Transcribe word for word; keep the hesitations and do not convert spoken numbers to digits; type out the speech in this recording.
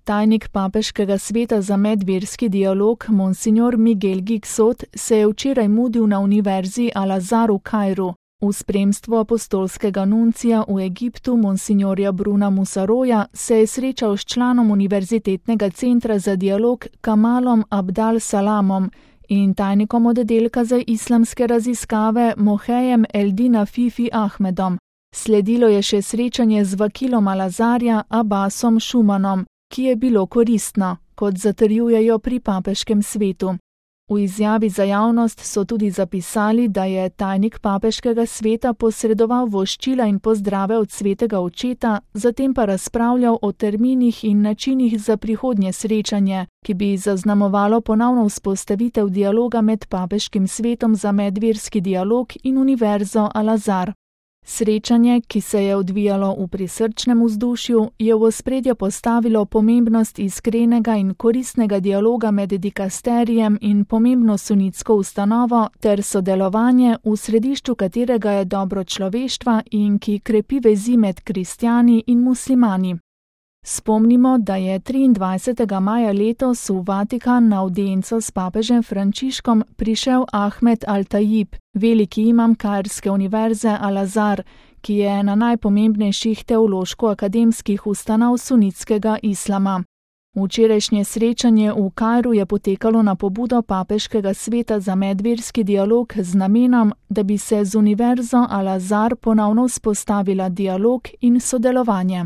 Tajnik Papeškega sveta za medverski dialog Monsignor Miguel Giksot se je včeraj mudil na univerzi Al-Azhar v Kairu. V spremstvu apostolskega nuncija v Egiptu Monsignorja Bruna Musaroja se je srečal s članom Univerzitetnega centra za dialog Kamalom Abdal Salamom in tajnikom oddelka za islamske raziskave Mohejem Eldina Fifi Ahmedom. Sledilo je še srečanje z vakilom Al-Azharja Abbasom Šumanom, ki je bilo koristno, kot zatrjujejo pri papeškem svetu. V izjavi za javnost so tudi zapisali, da je tajnik papeškega sveta posredoval voščila in pozdrave od svetega očeta, zatem pa razpravljal o terminih in načinih za prihodnje srečanje, ki bi zaznamovalo ponovno vzpostavitev dialoga med papeškim svetom za medverski dialog in univerzo Al-Azhar. Srečanje, ki se je odvijalo v prisrčnem vzdušju, je v ospredje postavilo pomembnost iskrenega in koristnega dialoga med dikasterijem in pomembno sunitsko ustanovo ter sodelovanje, v središču katerega je dobro človeštva in ki krepi vezi med kristjani in muslimani. Spomnimo, da je triindvajsetega maja letos v Vatikan na avdienco s papežem Frančiškom prišel Ahmed Al-Tajib, veliki imam kairske univerze Al-Azhar, ki je ena najpomembnejših teološko-akademskih ustanov sunitskega islama. Včerajšnje srečanje v Kairu je potekalo na pobudo Papeškega sveta za medverski dialog z namenom, da bi se z univerzo Al-Azhar ponovno vzpostavila dialog in sodelovanje.